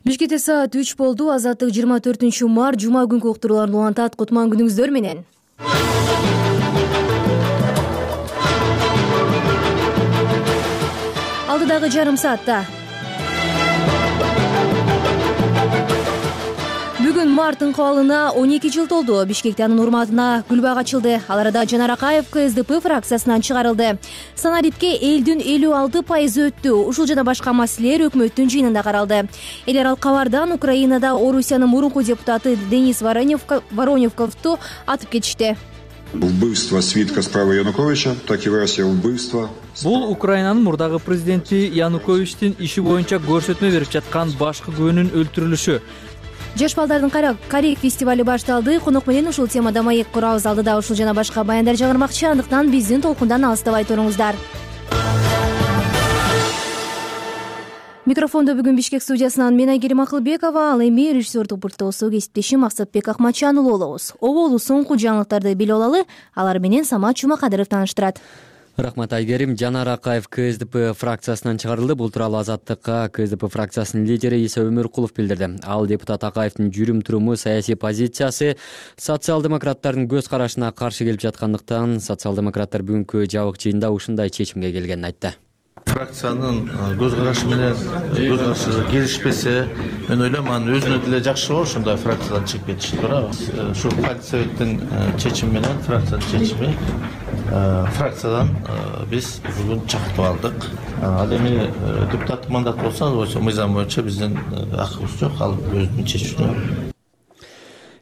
Бишкекте саат 3 болду. Азаттык 24-март жума күнкү уктурууларды улантат. Кутман күнүңүздөр менен. Алдыдагы жарым саатта бүгүн март ыңкыбалына 12 жыл толду. Бишкекте анын урматына гүл бак ачылды. Ал арада Жанар Акаев КСДП фракциясынан чыгарылды. Санарипке элдин 56% өттү. Ушул жана башка маселелер өкмөттүн жыйынында каралды. Эл аралык кабардан Украинада Орусиянын мурунку депутаты Денис Вороневковду атып кетишти. Убийство свитка справа Януковича, так и Россия убийство. Бул Украинанын мурдагы президенти Януковичтин иши боюнча көрсөтмө берип жаткан башкы күбөнүн өлтүрүлүшү. Жаш балдардын Карек фестивали башталды. Конок менен ушул темада маек курабыз. Алдыда ушул жана башка баяндар чыгармакчы. Андыктан биздин толкундан алыстабай туруңуздар. Микрофондо бүгүн Бишкек студиясынан мен Айгерим Акылбекова, ал эми режиссердик пульттосу кесиптешим Максатбек Акматжанұлы болобуз. Оболу соңку жаңылыктарды билип алалы. Алар менен Самат Жумакадыров тааныштырат. Рахмат Айгерим. Жанар Акаев КСДП фракциясынан чыгарылды. Бул тууралуу Азаттыкка КСДП фракциясынын лидери Иса Өмүркулов билдирди. Ал депутат Акаевдин жүрүм туруму, саясий позициясы социал-демократтардын көз карашына каршы келип жаткандыктан социал-демократтар бүгүнкү жабык жыйында ушундай чечимге келгенин айтты. Фракциянын көз карашы менен келишпесе, мен ойлойм, анын өзүнө деле жакшы болот, ошондой фракциядан чыгып кетиш туура. Ушу партсоветтин чечими менен, фракциянын чечими, фракциядан биз бүгүн чакыртып алдык. Ал эми депутаттык мандат болсо, мыйзам боюнча биздин акыбыз жок, ал өзүнүн чечүүнө.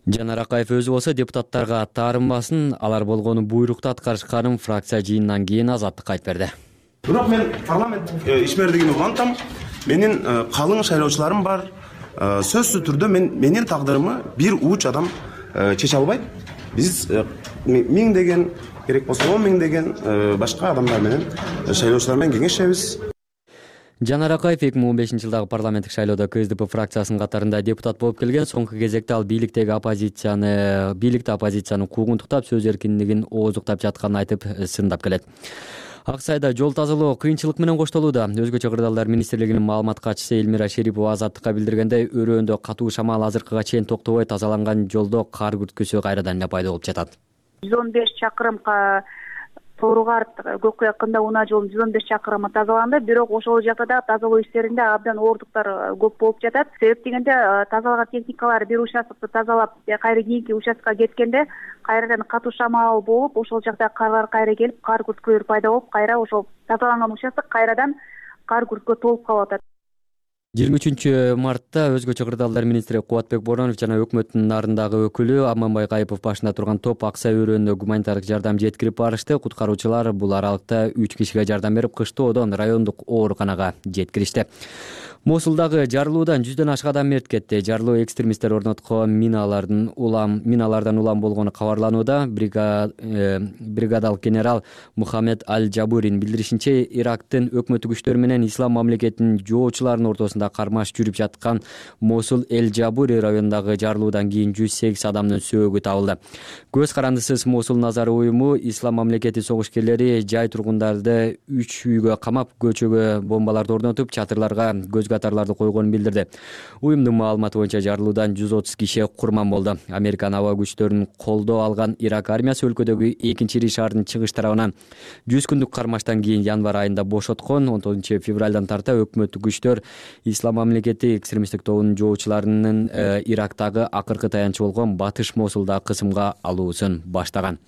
Жанар Акаев өзү болсо депутаттарга таарынбасын, алар болгону буйрукту аткарышканын фракция жыйынынан кийин Азаттыкка айтып берди. Бирок мен парламент ишмердигин улантам. Менин калың шайлоочуларым бар. Сөзсүз түрдө менин тагдырымы бир уч адам чече албайт. Биз миңдеген, керек болсо 10 миңдеген башка адамдар менен, шайлоочулар менен кеңешебиз. Жанар Акаев 2015-жылдагы парламенттик шайлоодо КСДП фракциясынын катарында депутат болуп келген. Соңку кезекте ал бийликти оппозицияны куугунтуктап, сөз эркиндигин ооздуктап жатканын айтып, сындап келет. Ак сайда жол тазалоо кыйынчылык менен коштолууда. Өзгөчө кырдаалдар министрлигинин маалымат катчысы Элмира Шерипова Азаттыкка билдиргендей, өрөөндө катуу шамал азыркыга чейин токтобой тазаланган жолдо кар күрткүсү кайрадан эле пайда болуп жатат. 115 чакырымга Тооругарт Көккө якында унаа жолунун 115 чакырымы тазаланды, бирок ошол жакта да тазалоо иштеринде абдан оордуктар көп болуп жатат. Себеп дегенде тазалаган техникалар бир участкты тазалап, кайра кийинки участкага кеткенде кайрадан катуу шамал болуп, ошол жакта карлар кайра келип, кар күрткөлөр пайда болуп, кайра ошол тазаланган участок кайрадан кар күрткө толуп калып атат. 23-мартта өзгөчө кырдаалдар министри Кубатбек Боронов жана өкмөттүн нарындагы өкүлү Аманбай Кайыпов башында турган топ Ак сай өрөөнүнө гуманитардык жардам жеткирип барышты. Куткаруучулар бул аралыкта 3 кишиге жардам берип, кыштоодон райондук ооруканага жеткиришти. Мосулдагы жарылуудан 100дөн ашык адам мерт кетти. Жарылуу экстремисттер орноткон миналардан улам болгону кабарланууда. Бригадалык генерал Мухаммед Аль-Жабурин билдиришинче, Ирактын өкмөттүк күчтөрү менен ислам мамлекетинин жоочуларынын ортосунда кармаш жүрүп жаткан Мосул Эль-Жабури районундагы жарылуудан кийин 108 адамдын сөөгү табылды. Көз карандысыз Мосул Назар уюму ислам мамлекети согушкерлери жай тургундарды 3 үйгө камап, көчөгө бомбаларды орнотуп, чатырларга көз катарларды койгонун билдирди. Уюмдун маалыматы боюнча жарылуудан 130 киши курман болду. Американ аба күчтөрүнүн колдоо алган Ирак армиясы өлкөдөгү 2-Ири шаардын чыгыш тарабынан 100 күндүк кармаштан кийин январь айында бошоткон. 19-февралдан тарта өкмөттүк күчтөр ислам мамлекети экстремисттик тобунун жоочуларынын Ирактагы акыркы таянчы болгон Батыш Мосулда кысымга алуусун баштаган.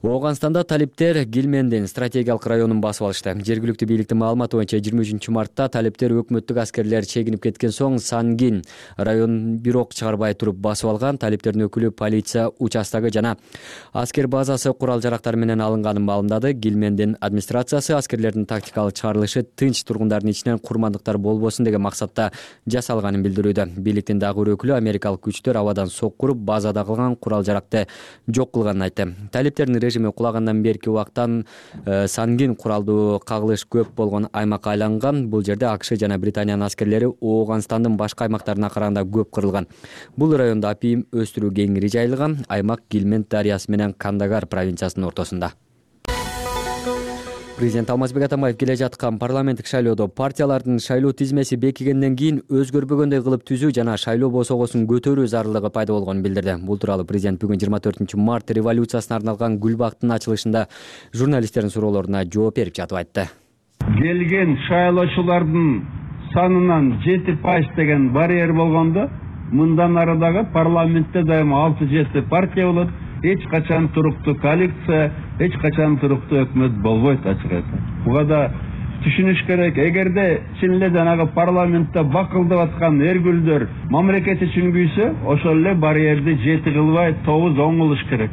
Ооганстанда талиптер Гилмендин стратегиялык районун басып алышты. Жергиликтүү бийликтин маалыматы боюнча 23-мартта талиптер өкмөттүк аскерлер чегинип кеткен соң Сангин районун бирок чыгарбай туруп басып алган. Талиптердин өкүлү полиция участогу жана аскер базасы курал-жарактар менен алынганын маалымдады. Гилмендин администрациясы аскерлердин тактикалык чыгарылышы тынч тургундардын ичинен курмандыктар болбосун деген максатта жасалганын билдирүүдө. Бийликтин дагы бир өкүлү Америкалык күчтөр абадан соккуруп базада калган курал-жаракты жок кылганын айтты. Талиптердин режими кулагандан берки убактан сангин куралдуу кагылыш көп болгон аймакка айланган. Бул жерде АКШ жана Британиянын аскерлери Ооганстандын башка аймактарына караганда көп кырылган. Бул райондо апиим өстүрүү кеңири жайылган. Аймак Гилмент дарыясы менен Кандагар провинциясынын ортосунда. Президент Алмазбек Атамбаев келе жаткан парламенттик шайлоодо партиялардын шайлоо тизмеси бекигенден кийин өзгөрбөгөндөй кылып түзүү жана шайлоо босогосун көтөрүү зарылыгы пайда болгонун билдирди. Бул тууралуу президент бүгүн 24-март революциясына арналган Гүлбактын ачылышында журналисттердин суроолоруна жооп берип жатып айтты. Келген шайлоочулардын санынан 7% деген барьер болгондо, мындан ары дагы парламентте дайыма 6-7 партия болот. Эч качан туруктуу коалиция, эч качан туруктуу өкмөт болбойт ачык айтсак. Буга да түшүнүш керек. Эгерде чын эле жанагы парламентте бакылдап аткан эргүлдөр мамлекет үчүн күйсө, ошол эле барьерди 7 кылбай 9-10 кылыш керек.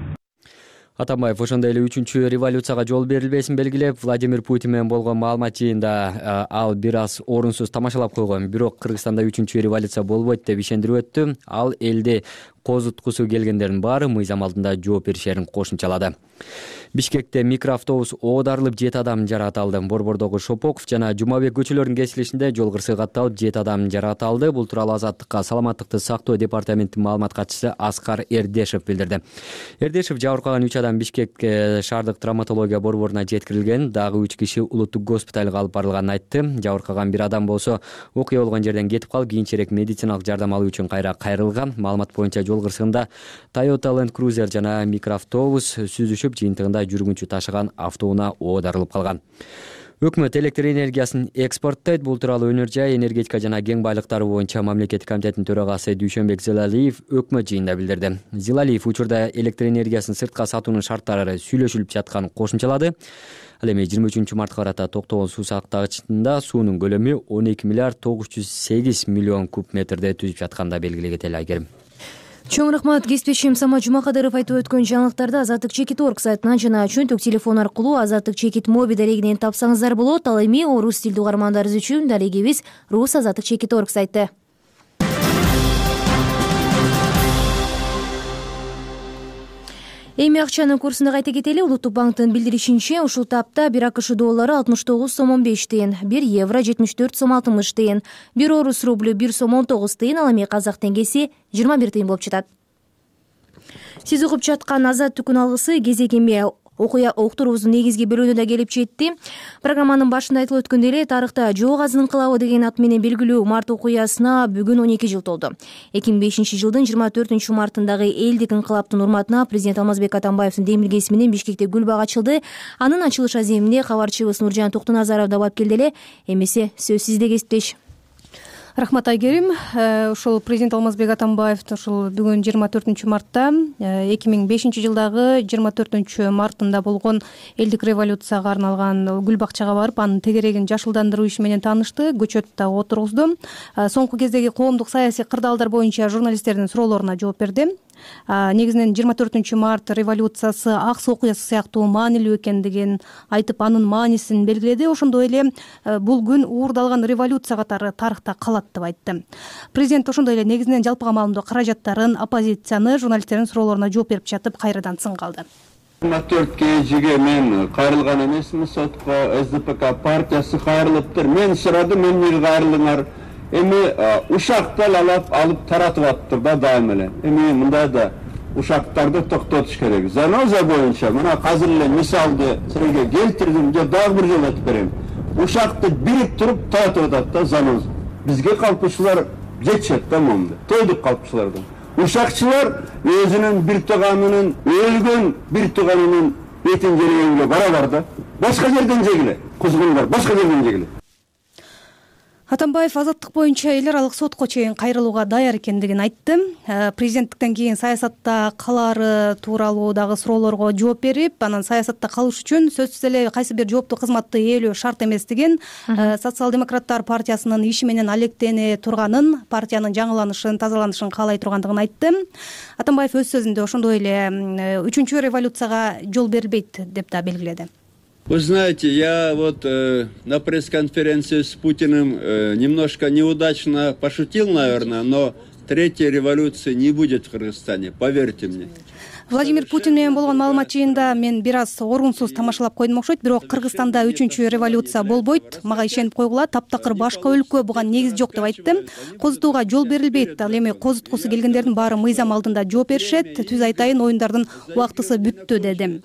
Атамбаев ошондой эле 3-чү революцияга жол берилбесин белгилеп, Владимир Путин менен болгон маалымат жыйында ал бир аз орунсуз тамашалап койгон. Бирок Кыргызстанда 3-чү революция болбойт деп ишендирип өттү. Ал элди козуткусу келгендердин баары мыйзам алдында жооп беришерин кошумчалады. Бишкекте микроавтобус оодарылып 7 адам жаракат алды. Борбордогу Шопоков жана Жумабек көчөлөрүнүн кесилишинде жол кырсыгы катталып 7 адам жаракат алды. Бул тууралуу Азаттыкка саламаттыкты сактоо департаментинин маалымат катчысы Аскар Эрдешев билдирди. Эрдешев жабыркаган 3 адам Бишкек шаардык травматология борборуна жеткирилген, дагы 3 киши улуттук госпиталга алып барылганын айтты. Жабыркаган бир адам болсо окуя болгон жерден кетип калып, кийинчерээк медициналык жардам алуу үчүн кайра кайрылган. Маалымат боюнча жол кырсыгында Toyota Land Cruiser жана микроавтобус сүзүшүп, жыйынтыгында жүргүнчү ташыган автоунаа оодарылып калган. Өкмөт электр энергиясын экспорттойт. Бул тууралуу Өнөр жай, энергетика жана кең байлыктары боюнча мамлекеттик комитеттин төрагасы Дүйшөнбек Зилалиев өкмөт жыйынында билдирди. Зилалиев учурда электр энергиясын сыртка сатуунун шарттары сүйлөшүлүп жатканын кошумчалады. Ал эми 23-мартка карата токтогон суу сактагычында суунун көлөмү 12 миллиард 908 миллион куб метрди түзүп жатканда белгилегенде Айгерим. Чоң рахмат. Кесиптешим Самат Жумакадыров айтып өткөн жаңылыктарды Азаттык Чекит орг сайтынан жана чөнтөк телефон аркылуу Азаттык Чекит моби дарегинен тапсаңыздар болот. Ал эми орус тилдүү угармандарыбыз үчүн дарегибиз Рус Азаттык Чекит орг сайты. Эми акчанын курсуна кайта кетели. Улуттук банктын билдиришинче, ушул тапта 1 АКШ доллары 69 сом 15 тыйын, 1 евро 74 сом 60 тыйын, 1 орус рублю 1 сом 19 тыйын, ал эми казак теңгеси 21 тыйын болуп жатат. Сиз угуп жаткан Азаттыктын алгысы кезек эми окуя уктуруубуздун негизги бөлүгүнө да келип жетти. Программанын башында айтылып өткөндөй эле, тарыхта Жоо Казын инкылабы деген ат менен белгилүү март окуясына бүгүн 12 жыл толду. 2005 жылдын 24-мартындагы элдик инкылаптын урматына президент Алмазбек Атамбаевдин демилгеси менен Бишкекте Гүлбак ачылды. Анын ачылыш аземине кабарчыбыз Нуржан Токтоназаров да бап келди эле. Эмесе сөз сизде, кесиптеш. Рахмат, Айгерим. Ушул президент Алмазбек Атамбаев ушул бүгүн 24-мартта 2005 жылдагы 24-мартында болгон элдик революцияга арналган гүл бакчага барып, анын тегерегин жашылдандыруу иши менен таанышты, көчөттө отургузду. Соңку кездеги коомдук саясий кырдаалдар боюнча журналисттердин суроолоруна жооп берди. Негизинен 24-март революциясы аксы окуясы сыяктуу маанилүү экендигин айтып, анын маанисин белгиледи. Ошондой эле бул күн уурдалган революция катары тарыхта калат деп айтты. Президент ошондой эле негизинен жалпыга маалымдоо каражаттарын, оппозицияны журналисттердин суроолоруна жооп берип жатып кайрадан сынга алды. 24 кежиге мен кайрылган эмесмин сотко, СДПК партиясы кайрылыптыр. Мен сурадым, мен кайрылыңар. Эми ушактан алып таратып аттыр да дайым эле. Эми мындай да ушактарды токтотуш керек. Заноза боюнча мына азыр эле мисалды силерге келтирдим, же дагы бир жолу айтып берем. Ушакты бирип туруп таратып атат да заноза. Бизге калпычылар жетишет да момду. Тойдук калпычылардан. Ушакчылар өзүнүн бир тууганынын, өлгөн бир тууганынын этин жегенге барабар да. Башка жерден жегиле. Кузгундар башка жерден жегиле. Атамбаев азаттык боюнча эл аралык сотко чейин кайрылууга даяр экендигин айтты. Президенттиктен кийин саясатта калаары тууралуу дагы суроолорго жооп берип, анан саясатта калыш үчүн сөзсүз эле кайсы бир жооптуу кызматты ээлөө шарт эместигин, Социал-демократтар партиясынын иши менен алектене турганын, партиянын жаңыланышын, тазаланышын каалай тургандыгын айтты. Атамбаев өз сөзүндө ошондой эле 3-чү революцияга жол берилбейт деп да белгиледи. Вы знаете, я вот на пресс-конференции с Путиным немножко неудачно пошутил, наверное, но третьей революции не будет в Кыргызстане, поверьте мне. Владимир Путин менен болгон маалымат жыйында мен бир аз орунсуз тамашалап койдум окшойт, бирок Кыргызстанда 3-чү революция болбойт, мага ишенип койгула, таптакыр башка өлкө буга негиз жок деп айтты. Козутууга жол берилбейт, ал эми козуткусу келгендердин баары мыйзам алдында жооп беришет, түз айтайын, оюндардын убактысы бүттү деди.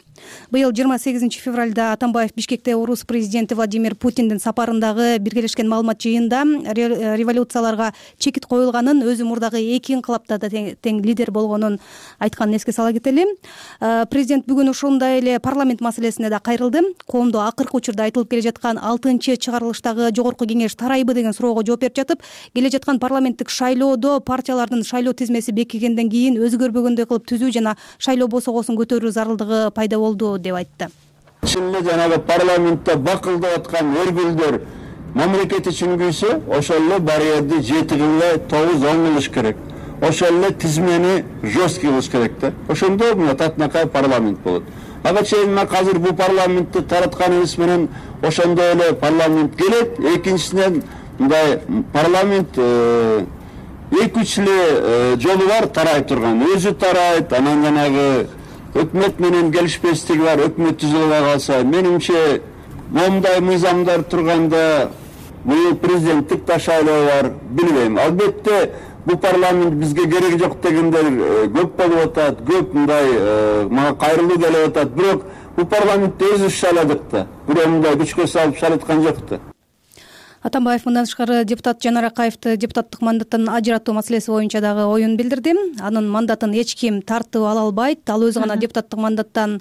Быйыл 28 февралда Атамбаев Бишкекте орус президенти Владимир Путиндин сапарындагы биргелешкен маалымат жыйында революцияларга чекит коюлганын, өзү мурдагы 2 инкылапта да тең лидер болгонун айтканын эске сала кетели. Президент бүгүн ошондой эле парламент маселесине да кайрылды. Коомдо акыркы учурда айтылып келе жаткан 6-чыгарылыштагы жогорку кеңеш тарайбы деген суроого жооп берип жатып, келе жаткан парламенттик шайлоодо партиялардын шайлоо тизмеси бекигенден кийин өзгөрбөгөндөй кылып түзүү жана шайлоо босогосун көтөрүү зарылдыгы пайда болду деп айтты. Чын эле жанагы парламентте бакылдап аткан өргүлдөр мамлекет үчүн күйсө, ошол эле барьерди 7-9-10 кылыш керек. Ошол эле тизмени жесткий кылыш керек да. Ошондо мына татынакай парламент болот. Ага чейин азыр бул парламентти таратканыбыз менен ошондой эле парламент келет. Экинчисинен мындай парламент 2-3 эле жолу бар тарай турган. Өзү тарайт, анан жанагы өкмөт менен келишпестиги бар, өкмөт түзүлбөй калса, менимче момундай мыйзамдар турганда бул президенттик да шайлоо бар, билбейм. Албетте бул парламент бизге кереги жок дегендер көп болуп атат, көп мындай мага кайрылуу келип атат, бирок бул парламентти өзүбүз шайладык да. Бирөө мындай күчкө салып шайлаткан жок да. Атамбаев мындан тышкары депутат Жанар Акаевди депутаттык мандаттан ажыратуу маселеси боюнча дагы оюн билдирди. Анын мандатын эч ким тартып ала албайт, ал өзү гана депутаттык мандатын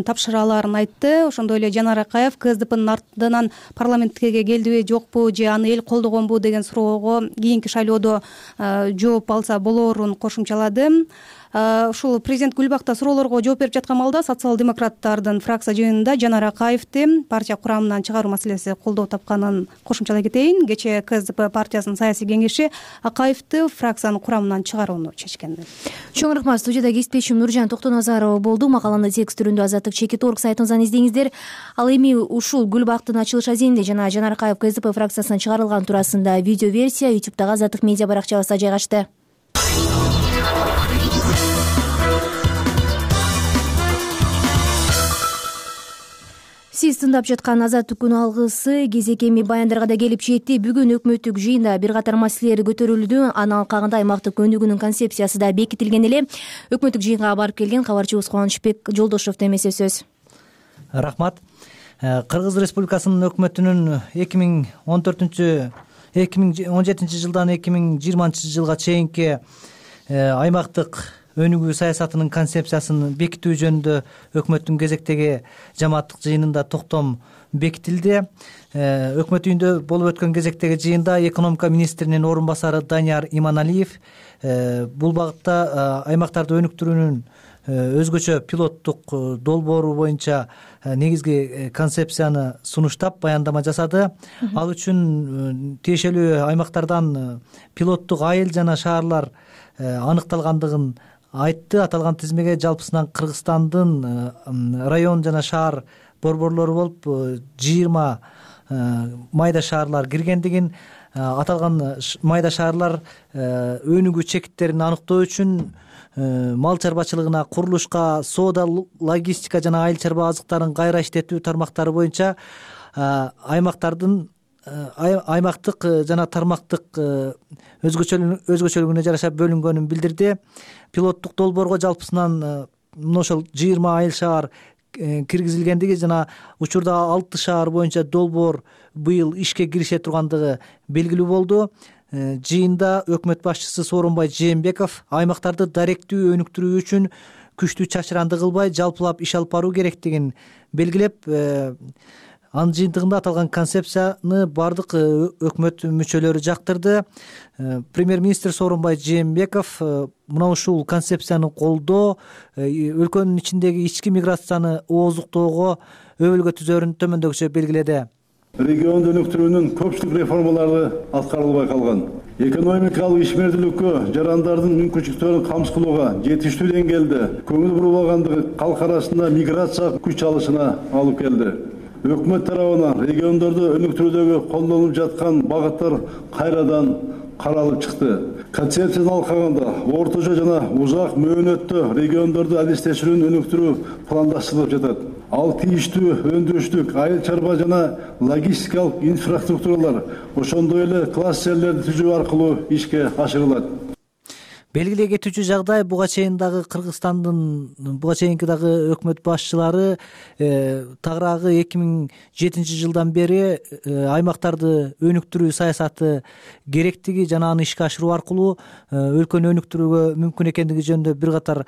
тапшыра аларын айтты. Ошондой эле Жанар Акаев КСДПнын артынан парламентке келдиби жокпу же аны эл колдогонбу деген суроого кийинки шайлоодо жооп алса болоорун кошумчалады. Ушул президент Гүлбакта суроолорго жооп берип жаткан маалда социал-демократтардын фракция жыйынында Жанар Акаевди партия курамынан чыгаруу маселеси колдоо тапканын кошумчалай кетейин. Кечээ КСДП партиясынын саясий кеңеши Акаевди фракциянын курамынан чыгарууну чечкен. Чоң рахмат. Студияда кесиптешим Нуржан Токтоназарова болду. Макаланы текст түрүндө Азаттык Чекит.орг сайтыңыздан издеңиздер. Ал эми ушул Гүлбактын ачылыш азинде жана Жанар Акаев КСДП фракциясынан чыгарылган туурасында видео версия YouTube'дагы Азаттык медиа баракчабызда жайгашты. Сиз тыңдап жаткан Азаттык күн алгысы кезекеми баяндарга да келип жетти. Бүгүн өкмөттүк жыйында бир катар маселелер көтөрүлдү. Анын алкагында аймактык көндүгүүнүн концепциясы да бекитилген эле. Өкмөттүк жыйынга барып келген кабарчыбыз Кубанычбек Жолдошовдо эмесе сөз. Рахмат. Кыргыз Республикасынын өкмөтүнүн 2017 жылдан 2020 жылга чейинки аймактык өнүгүү саясатынын концепциясын бекитүү жөнүндө өкмөттүн кезектеги жамааттык жыйынында токтом бекитилди. Өкмөт үйүндө болуп өткөн кезектеги жыйында экономика министринин орун басары Данияр Иманалиев бул багытта аймактарды өнүктүрүүнүн өзгөчө пилоттук долбоору боюнча негизги концепцияны сунуштап баяндама жасады. Ал үчүн тиешелүү аймактардан пилоттук айыл жана шаарлар аныкталгандыгын айтты. Аталган тизмеге жалпысынан Кыргызстандын район жана шаар борборлору болуп 20 майда шаарлар киргендигин, аталган майда шаарлар өнүгүү чекиттерин аныктоо үчүн мал чарбачылыгына, курулушка, соода, логистика жана айыл чарба азыктарын кайра иштетүү тармактары боюнча аймактык жана тармактык өзгөчөлүгүнө жараша бөлүнгөнүн билдирди. Пилоттук долбоорго жалпысынан мына ошол 20 айыл шаар киргизилгендиги жана учурда 6 шаар боюнча долбоор быйыл ишке кирише тургандыгы белгилүү болду. Жыйында өкмөт башчысы Сооронбай Жээнбеков аймактарды даректүү өнүктүрүү үчүн күчтүү чачыранды кылбай жалпылап иш алып баруу керектигин белгилеп, анын жыйынтыгында аталган концепцияны бардык өкмөт мүчөлөрү жактырды. Премьер-министр Сооронбай Жээнбеков мына ушул концепцияны колдоо өлкөнүн ичиндеги ички миграцияны ооздуктоого өбөлгө түзөрүн төмөндөгүчө белгиледи. Регионду өнүктүрүүнүн көпчүлүк реформалары аткарылбай калган. Экономикалык ишмердүүлүккө жарандардын мүмкүнчүлүктөрүн камсыз кылууга жетиштүү деңгээлде көңүл бурулбагандыгы калк арасында миграция күч алышына алып келди. Өкмөт тарабынан региондорду өнүктүрүүдөгү колдонулуп жаткан багыттар кайрадан каралып чыкты. Концепцияны алкаганда ортожо жана узак мөөнөттө региондорду адистешүүнү өнүктүрүү пландаштырылып жатат. Ал тийиштүү өндүрүштүк, айыл чарба жана логистикалык инфраструктуралар, ошондой эле кластерлерди түзүү аркылуу ишке ашырылат. Белгилей кетүүчү жагдай буга чейин дагы дагы өкмөт башчылары тагыраагы 2007 жылдан бери аймактарды өнүктүрүү саясаты керектиги жана аны ишке ашыруу аркылуу өлкөнү өнүктүрүүгө мүмкүн экендиги жөнүндө бир катар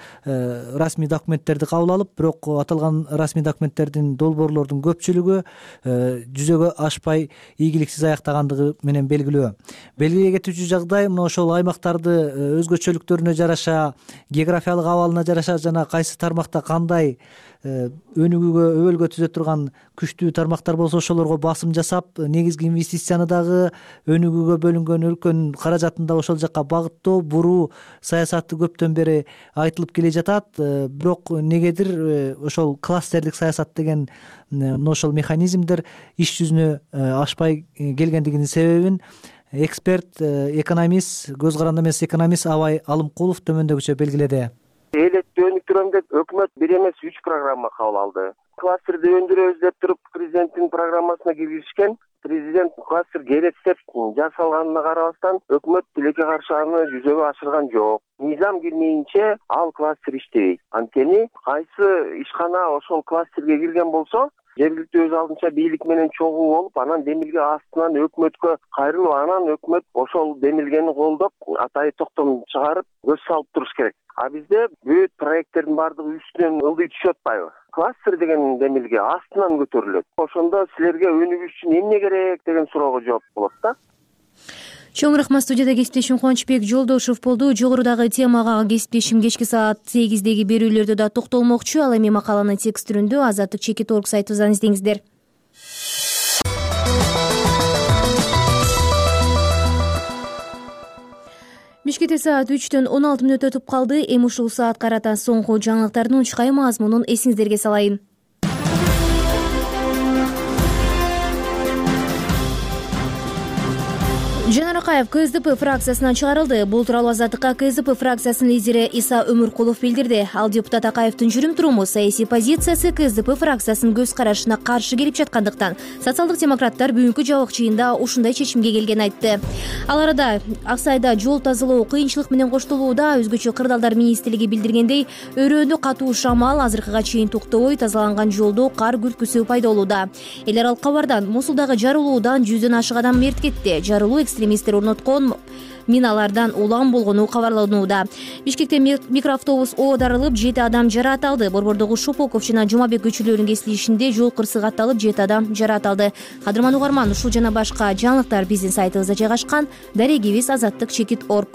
расмий документтерди кабыл алып, бирок аталган расмий документтердин долбоорлордун көпчүлүгү жүзөгө ашпай ийгиликсиз аяктагандыгы менен белгилүү. Белгилей кетүүчү жагдай мына ошол аймактарды өзгөчөлүктөрүнө жараша, географиялык абалына жараша жана кайсы тармакта кандай өнүгүүгө өбөлгө түзө турган күчтүү тармактар болсо ошолорго басым жасап, негизги инвестицияны дагы өнүгүүгө бөлүнгөн өлкөнүн каражатын да ошол жакка багыттоо, буруу саясаты көптөн бери айтылып келе жатат. Бирок негедир ошол кластерлик саясат деген ошол механизмдер иш жүзүнө ашпай келгендигинин себебин эксперт, экономист, көз каранды эмес экономист Абай Алымкулов төмөндөгүчө белгиледи. Элетти өнүктүрөм деп өкмөт 1 эмес 3 программа кабыл алды. Кластерди өндүрөбүз деп туруп президенттин программасына киргизишкен. Президент кластер керек деп жасалганына карабастан өкмөт тилекке каршы аны жүзөгө ашырган жок. Мыйзам кирмейинче ал кластер иштебейт. Анткени кайсы ишкана ошол кластерге кирген болсо, жергиликтүү өз алдынча бийлик менен чогуу болуп, анан демилге астынан өкмөткө кайрылып, анан өкмөт ошол демилгени колдоп, атайын токтом чыгарып, көз салып туруш керек. А бизде бүт проекттердин баардыгы үстүнөн ылдый түшүп атпайбы? Кластер деген демилге астынан көтөрүлөт. Ошондо силерге өнүгүш үчүн эмне керек деген суроого жооп болот да. Чоң рахмат. Студияда кесиптешим Кубанычбек Жолдошев болду. Жогорудагы темага кесиптешим кечки саат 8деги берүүлөрдө да токтолмокчу. Ал эми макаланы текст түрүндө Азаттык.org сайтыбыздан издеңиздер. Бишкекте саат 3:16 өтүп калды. Эми ушул саат карата соңку жаңылыктардын унчукай мазмунун эсиңиздерге салайын. Жанар Акаев КСДП фракциясынан чыгарылды. Бул тууралуу Азаттыкка КСДП фракциясынын лидери Иса Өмүркулов билдирди. Ал депутат Акаевдин жүрүм туруму, саясий позициясы КСДП фракциясынын көз карашына каршы келип жаткандыктан социалдык демократтар бүгүнкү жабык жыйында ушундай чечимге келгенин айтты. Ал арада Ак Сайда жол тазалоо кыйынчылык менен коштолууда. Өзгөчө кырдаалдар министрлиги билдиргендей, өрөөнү катуу шамал азыркыга чейин токтобой тазаланган жолдо кар күрткүсү пайда болууда. Эл аралык кабардан Мосулдагы жарылуудан 100дөн ашык адам мерт кетти. Жарылуу экстремисттер орноткон миналардан улам болгону кабарланууда. Бишкекте микроавтобус оодарылып, 7 адам жараат алды. Борбордогу Шопоков жана Жумабек көчөлөрүнүн кесилишинде жол кырсык атталып, 7 адам жараат алды. Кадырман угарман, ушул жана башка жаңылыктар биздин сайтыбызда жайгашкан. Дарегибиз Азаттык.org.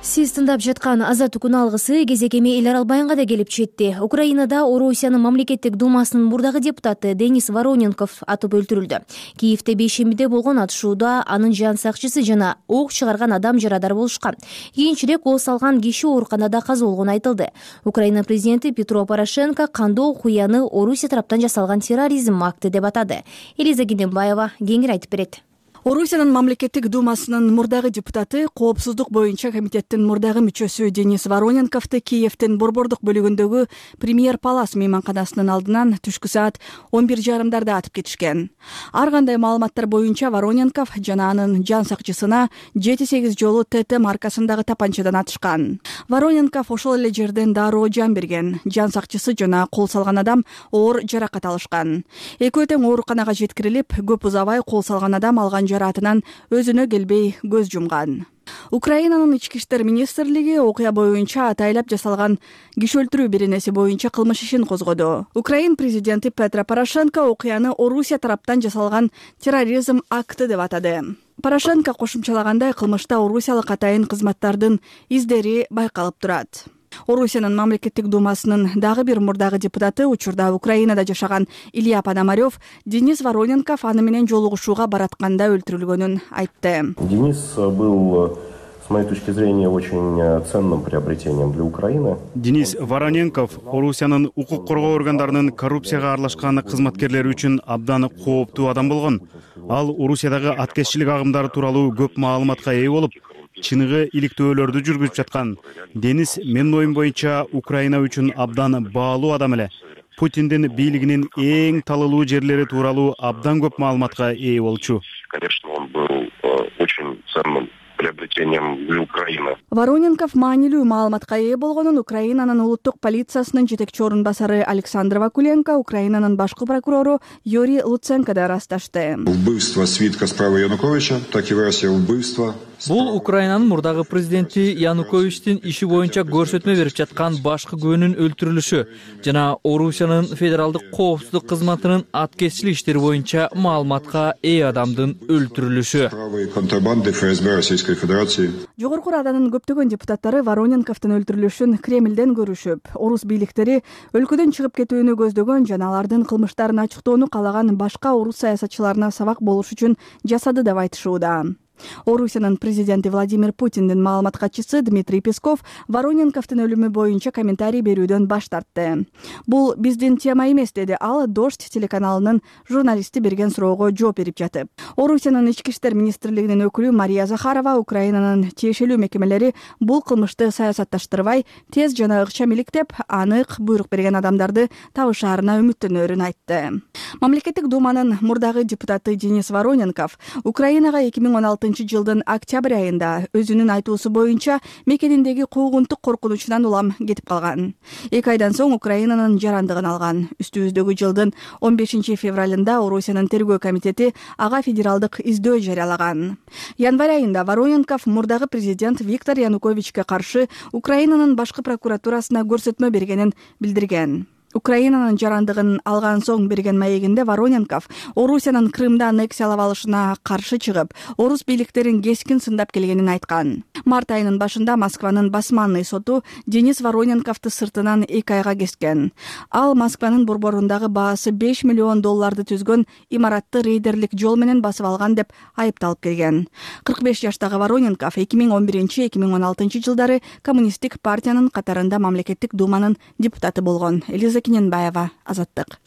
Сиз тыңдап жаткан Азаттык күн алгысы кезекеми эл арал байынга да келип жетти. Украинада Орусиянын мамлекеттик думасынын мурдагы депутаты Денис Вороненков атып өлтүрүлдү. Киевде бейшембиде болгон атышууда анын жан сакчысы жана ок чыгарган адам жарадар болушкан. Кийинчерээк оо салган киши ооруканада каза болгону айтылды. Украина президенти Петро Порошенко кандоо окуяны Орусия тараптан жасалган терроризм акты деп атады. Элиза Генденбаева кеңири айтып берет. Орусиянын мамлекеттик думасынын мурдагы депутаты, коопсуздук боюнча комитеттин мурдагы мүчөсү Денис Вороненковду Киевдин борбордук бөлүгүндөгү Премьер Палас мейманканасынын алдынан түшкү саат 11:30 атып кетишкен. Ар кандай маалыматтар боюнча Вороненков жана анын жан сакчысына 7-8 жолу ТТ маркасындагы тапанчадан атышкан. Вороненков ошол эле жерден дароо жан берген. Жан сакчысы жана кол салган адам оор жаракат алышкан. Экөө тең ооруканага жеткирилип, көп узабай кол салган адам алган жараатынан өзүнө келбей көз жумган. Украинанын ички иштер министрлиги окуя боюнча атайлап жасалган киши өлтүрүү беренеси боюнча кылмыш ишин козгоду. Украин президенти Петро Порошенко окуяны Орусия тараптан жасалган терроризм акты деп атады. Порошенко кошумчалагандай, кылмышта орусиялык атайын кызматтардын издери байкалып турат. Орусиянын мамлекеттик думасынын дагы бир мурдагы депутаты, учурда Украинада жашаган Илья Пономарев, Денис Вороненков аны менен жолугушууга баратканда өлтүрүлгөнүн айтты. Денис был с моей точки зрения, очень ценным приобретением для Украины. Денис Вороненков Орусиянын укук коргоо органдарынын коррупцияга аралашкан кызматкерлери үчүн абдан кооптуу адам болгон. Ал Орусиядагы аткезчилик агымдары тууралуу көп маалыматка ээ болуп, чыныгы иликтөөлөрдү жүргүзүп жаткан. Денис менин оюм боюнча Украина үчүн абдан баалуу адам эле. Путиндин бийлигинин эң талылуу жерлери тууралуу абдан көп маалыматка ээ болчу. Конечно, он был очень ценным приобретением для Украины. Вороненков маанилүү маалыматка ээ болгонун Украинанын улуттук полициясынын жетекчи орун басары Александр Вакуленко, Украинанын башкы прокурору Юрий Луценко да ырасташты. Убийство свитка справа Януковича, так и версия убийства. Бул Украинанын мурдагы президенти Януковичтин иши боюнча көрсөтмө берип жаткан башкы күбөнүн өлтүрүлүшү жана Орусиянын федералдык коопсуздук кызматынын аткезчилик иштери боюнча маалыматка ээ адамдын өлтүрүлүшү. Контрабанды ФСБ Российской Федерации. Жогорку Раданын көптөгөн депутаттары Вороненковдун өлтүрүлүшүн Кремлден көрүшүп, орус бийликтери өлкөдөн чыгып кетүүнү көздөгөн жана алардын кылмыштарын ачыктоону каалаган башка орус саясатчыларына сабак болуш үчүн жасады деп айтышууда. Орусиянын президенти Владимир Путиндин маалымат катчысы Дмитрий Песков Вороненковдун өлүмү боюнча комментарий берүүдөн баш тартты. Бул биздин тема эмес, деди ал Дождь телеканалынын журналисти берген суроого жооп берип жатып. Орусиянын ички иштер министрлигинин өкүлү Мария Захарова Украинанын тиешелүү мекемелери бул кылмышты саясатташтырбай, тез жана ыкчам иликтеп, анык буйрук берген адамдарды табышаарына үмүттөнөрүн айтты. Мамлекеттик думанын мурдагы депутаты Денис Вороненков Украинага 2016 жылдын октябрь айында өзүнүн айтуусу боюнча мекениндеги куугунтук коркунучунан улам кетип калган. 2 айдан соң Украинанын жарандыгын алган. Үстүбүздөгү жылдын 15 февралында Орусиянын тергөө комитети ага федералдык издөө жарыялаган. Январь айында Вороненков мурдагы президент Виктор Януковичке каршы Украинанын башкы прокуратурасына көрсөтмө бергенин билдирген. Украинанын жарандыгын алган соң берген маегинде Вороненков Орусиянын Крымды аннексиялап алышына каршы чыгып, орус бийликтерин кескин сындап келгенин айткан. Март айынын башында Москванын басманный соту Денис Вороненковду сыртынан 2 айга кескен. Ал Москванын борборундагы баасы $5 миллион түзгөн имаратты рейдерлик жол менен басып алган деп айыпталып келген. 45 жаштагы Вороненков 2011-2016 жылдары Коммунисттик партиянын катарында мамлекеттик думанын депутаты болгон. Кененбаева, Азаттык.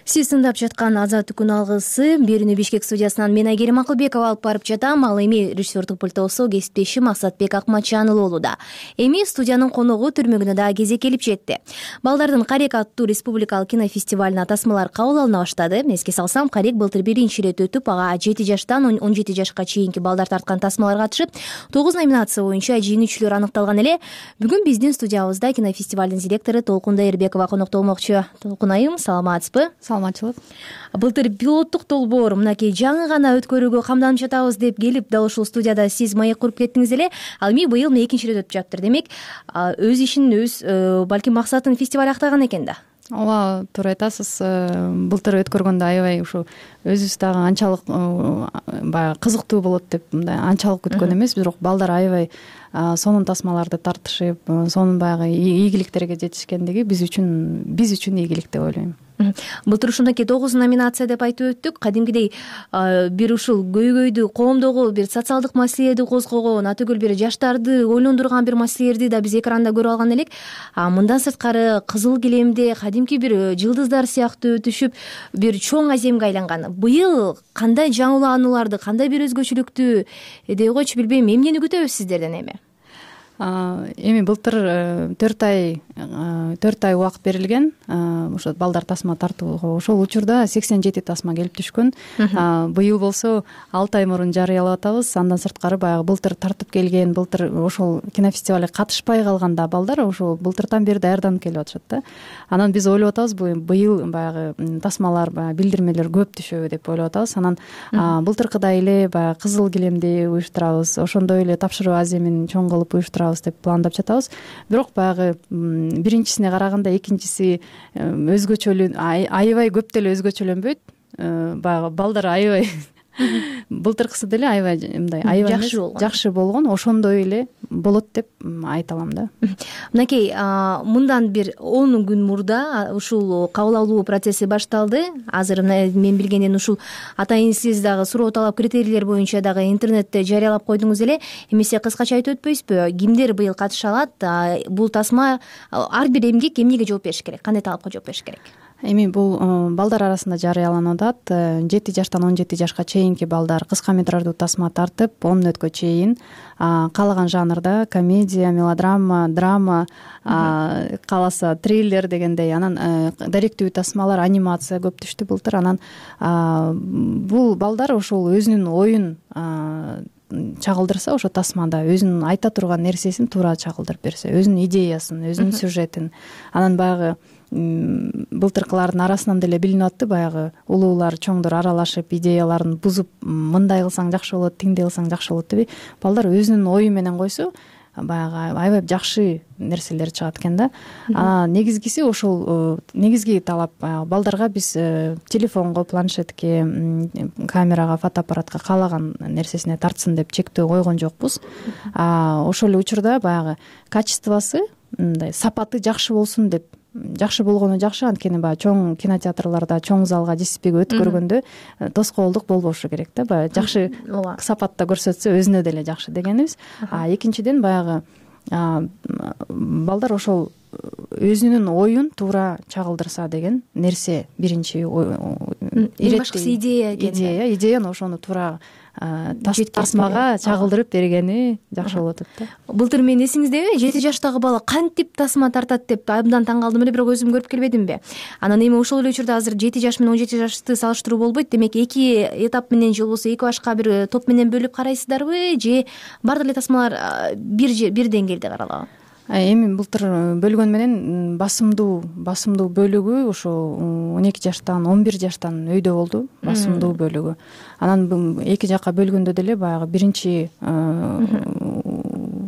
Сиз тыңдап жаткан Азаттык күн алгысы берүүнү Бишкек студиясынан мен Айгерим Акылбекова алып барып жатам. Ал эми режиссердук пультосу кесиптешим Асатбек Акматжанұлы болууда. Эми студиянын коногу түрмөгүнө да кезек келип жетти. Балдардын Карек аттуу республикалык кинофестивалына тасмалар кабыл алына баштады. Эске салсам, Карек былтыр биринчи ирет өтүп, ага 7 жаштан 17 жашка чейинки балдар тарткан тасмалар катышып, 9 номинация боюнча жеңүүчүлөр аныкталган эле. Бүгүн биздин студиябызда кинофестивалдын директору Толкун Дайырбекова конокто болмокчу. Толкун айым, саламатсызбы? Саламатчылык. Былтыр пилоттук долбоор мынакей жаңы гана өткөрүүгө камданып жатабыз деп келип, дал ушул студияда сиз маек куруп кеттиңиз эле. Ал эми быйыл экинчи ирет өтүп жатыптыр. Демек, өз ишин балким максатын фестиваль актаган экен да. Ооба, туура айтасыз. Былтыр өткөргөндө аябай ушу өзүбүз дагы анчалык баягы кызыктуу болот деп мындай анчалык күткөн эмес, бирок балдар аябай сонун тасмаларды тартышып, сонун баягы ийгиликтерге жетишкендиги биз үчүн ийгилик деп ойлойм. Былтыр ушундакей 9 номинация деп айтып өттүк. Кадимкидей бир ушул көйгөйдү, коомдогу бир социалдык маселелерди козгогон, атөгөл бир жаштарды ойлондурган бир маселелерди да биз экранда көрүп алган элек. Мындан сырткары Кызыл килемде кадимки бир жылдыздар сыяктуу өтүшүп, бир чоң аземге айланган. Быйыл кандай жаңыланууларды, кандай бир өзгөчөлүктү дей койчу, билбейм, эмнени күтөбүз сиздерден эми? Эми былтыр 4 ай убакыт берилген. Ошо балдар тасма тартууга ошол учурда 87 тасма келип түшкөн. Быйыл болсо 6 ай мурун жарыялап атабыз. Андан сырткары баягы былтыр тартып келген, былтыр ошол кинофестивалга катышпай калганда балдар ошол былтыртан бери даярданып келип атышат да. Анан биз ойлоп атабыз, быйыл баягы тасмалар, билдирмелер көп түшөбү деп ойлоп атабыз. Анан былтыркыдай эле баягы Кызыл килемди уюштурабыз, ошондой эле тапшыруу аземин чоң кылып уюштурабыз деп пландап жатабыз. Бирок баягы биринчисине караганда экинчиси өзгөчөлүн аябай көп деле өзгөчөлөнбөйт. Баягы балдар аябай былтыркысы деле аябай мындай аябай жакшы болгон, ошондой эле болот деп айта алам да. Мынакей, мындан бир 10 күн мурда ушул кабыл алуу процесси башталды. Азыр мен билгенден ушул атайын сиз дагы суроо талап критерийлер боюнча дагы интернетте жарыялап койдуңуз эле. Эмесе кыскача айтып өтпөйсүзбү? Кимдер быйыл катыша алат? Бул тасма ар бир эмгек эмнеге жооп бериш керек? Кандай талапка жооп бериш керек? Эми бул балдар арасында жарыяланып атат. 7 жаштан 17 жашка чейинки балдар кыска метраждуу тасма тартып 10 мүнөткө чейин каалаган жанрда комедия, мелодрама, драма, кааласа триллер дегендей, анан даректүү тасмалар, анимация көп түштү былтыр. Анан бул балдар ошол өзүнүн оюн чагылдырса, ошо тасмада өзүнүн айта турган нерсесин туура чагылдырып берсе, өзүнүн идеясын, өзүнүн сюжетин, анан баягы былтыркылардын арасынан деле билинип атты, баягы улуулар, чоңдор аралашып идеяларын бузуп, мындай кылсаң жакшы болот, тиңдей кылсаң жакшы болот деп балдар өзүнүн ою менен койсо, баягы аябай жакшы нерселер чыгат экен да. Негизгиси ошол негизги талап балдарга биз телефонго, планшетке, камерага, фотоаппаратка каалаган нерсесине тартсын деп чектөө койгон жокпуз. Ошол эле учурда баягы качествосы, мындай сапаты жакшы болсун деп, жакшы болгону жакшы, анткени баягы чоң кинотеатрларда, чоң залга жесипеге өткөргөндө тоскоолдук болбошу керек да. Баягы жакшы сапатта көрсөтсө өзүнө деле жакшы дегенибиз. Экинчиден баягы балдар ошол өзүнүн оюн туура чагылдырса деген нерсе биринчи башкысы идеяны ошону туура тасмага чагылдырып бергени жакшы болот да. Былтыр мен эсиңиздеби, 7 жаштагы бала кантип тасма тартат деп абдан таң калдым эле, бирок өзүм көрүп келбедимби? Анан эми ошол эле учурда азыр 7 жаш менен 17 жашты салыштыруу болбойт. Демек 2 этап менен же болбосо 2 башка бир топ менен бөлүп карайсыздарбы, же баардык эле тасмалар бир деңгээлде каралабы? Эми былтыр бөлгөн менен басымдуу бөлүгү ошо 12 жаштан 11 жаштан өйдө болду, басымдуу бөлүгү. Анан 2 жакка бөлгөндө деле баягы биринчи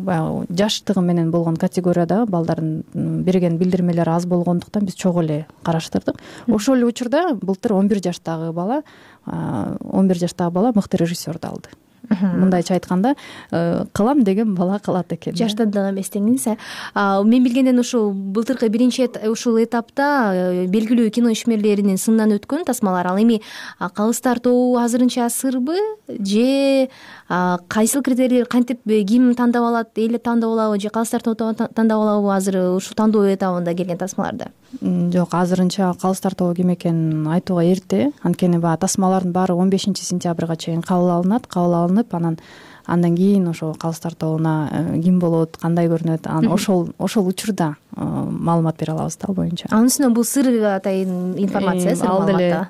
баягы жаштыгы менен болгон категорияда балдардын берген билдирмелери аз болгондуктан биз чогуу эле караштырдык. Ошол эле учурда былтыр 11 жаштагы бала мыкты режиссерду алды. Мындайча айтканда, кылам деген бала кылат экен. Жаштан да эмес деңиз. Мен билгенден ушул былтыркы биринчи ушул этапта белгилүү кино ишмерлеринин сынынан өткөн тасмалар. Ал эми калыс тартуу азырынча сырбы, же кайсыл критерийлер, кантип ким тандап алат, эл тандап алабы, же калыс тартуу тандап алабы азыр ушул тандоо этабында келген тасмаларда? Жок, азырынча калыс тартуу ким экенин айтууга эрте. Анткени баягы тасмалардын баары 15 сентябрга чейин кабыл алынып, андан кийин ошо калыс тартууна ким болот, кандай көрүнөт, анан ошол учурда маалымат бере алабыз да ал боюнча. Анын үстүнө бул сыр атайын информация, сыр маалымат.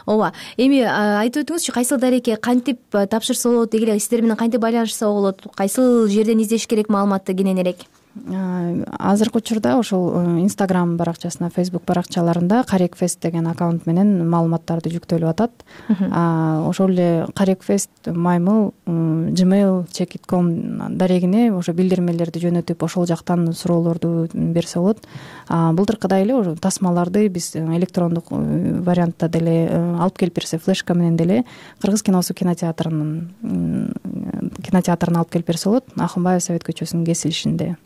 Ооба. Эми айтып өтүңүзчү, кайсыл дарекке кантип тапшырса болот, деги эле сиздер менен кантип байланышса болот, кайсыл жерден издеш керек маалыматты кененирээк? Азыркы учурда ошол Instagram баракчасына, Facebook баракчаларында Карекфест деген аккаунт менен маалыматтарды жүктөлүп атат. Ошол эле Карекфест gmail.com дарегине ошо билдирмелерди жөнөтүп, ошол жактан суроолорду берсе болот. Былтыркыдай эле ошо тасмаларды биз электрондук вариантта деле алып келип берсе, флешка менен деле Кыргыз киносу кинотеатрына алып келип берсе болот. Акынбаев Совет көчөсүнүн кесилишинде.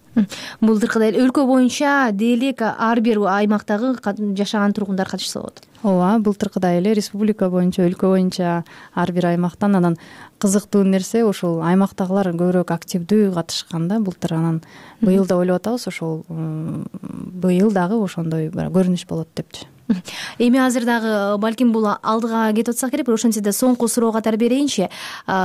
Былтыркыдай өлкө боюнча дээлик ар бир аймактагы жашаган тургундар катышса болот. Ооба, былтыркыдай эле республика боюнча, өлкө боюнча ар бир аймактан. Анан кызыктуу нерсе ошол аймактагылар көбүрөөк активдүү катышкан да былтыр. Анан быйыл да ойлоп атабыз, ошол быйыл дагы ошондой көрүнүш болот депчи. Эми азыр дагы балким бул алдыга кетип атсак керек, бирок ошентсе да соңку суроо катары берейинчи.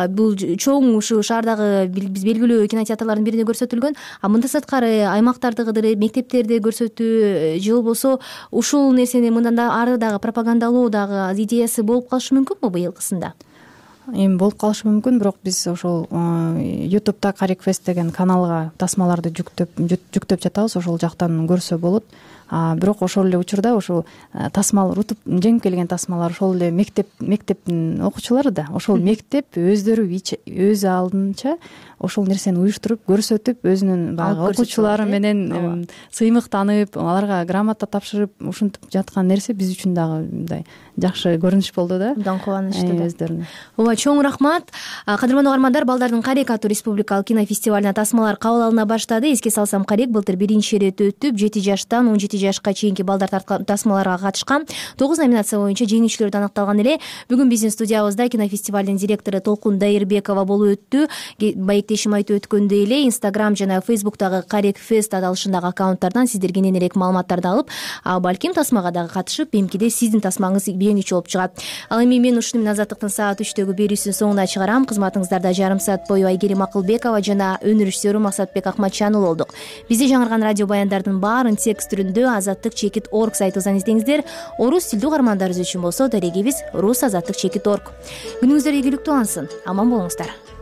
Бул чоң ушу шаардагы биз белгилүү кинотеатрлардын бирине көрсөтүлгөн. Мындан сырткары аймактардагы мектептерде көрсөтүү же болбосо ушул нерсени мындан да ары дагы пропагандалоо дагы идеясы болуп калышы мүмкүнбү быйылкысында? Эми болуп калышы мүмкүн, бирок биз ошол YouTube'да Карекфест деген каналга тасмаларды жүктөп жатабыз, ошол жактан көрсө болот. бирок ошол эле учурда ушул тасмалар утуп жеңип келген тасмалар ошол эле мектептин окуучулары да ошол мектеп өздөрү өз алдынча ошол нерсени уюштуруп көрсөтүп өзүнүн баягы окуучулары менен сыймыктанып аларга грамота тапшырып ушинтип жаткан нерсе биз үчүн дагы мындай жакшы көрүнүш болду да. Абдан кубанычтуу өздөрүнө. Ооба, чоң рахмат. Кадырман угармандар, Балдардын Карек аттуу республикалык кинофестивалына тасмалар кабыл алына баштады. Эске салсам, Карек былтыр биринчи ирет өтүп, 7 жаштан 17 жашка чейинки балдар тасмаларга катышкан. 9 номинация боюнча жеңүүчүлөр аныкталган эле. Бүгүн биздин студиябызда кинофестивалдын директору Толкун Дайырбекова болуп өттү. Байектешим айтып өткөндөй эле Instagram жана Facebook'тагы Карек Fest аталышындагы аккаунттардан сиздер кененирээк маалыматтарды алып, балким тасмага дагы катышып, эмкиде сиздин тасмаңыз бийиңичи болуп чыгат. Ал эми мен ушуну менен Азаттыктын саат 3төгү берүүсүнүн соңуна чыгарам. Кызматыңыздарда жарым саат бою Айгерим Акылбекова жана өнөр режиссеру Максатбек Акматжанов болдук. Бизде жаңырган радио баяндардын баарын текст түрүндө azattik.org сайтыбыздан издеңиздер. Орус тилдүү угармандарыбыз үчүн болсо дарегибиз rusazattik.org. Күнүңүздөр ийгиликтүү улансын. Аман болуңуздар.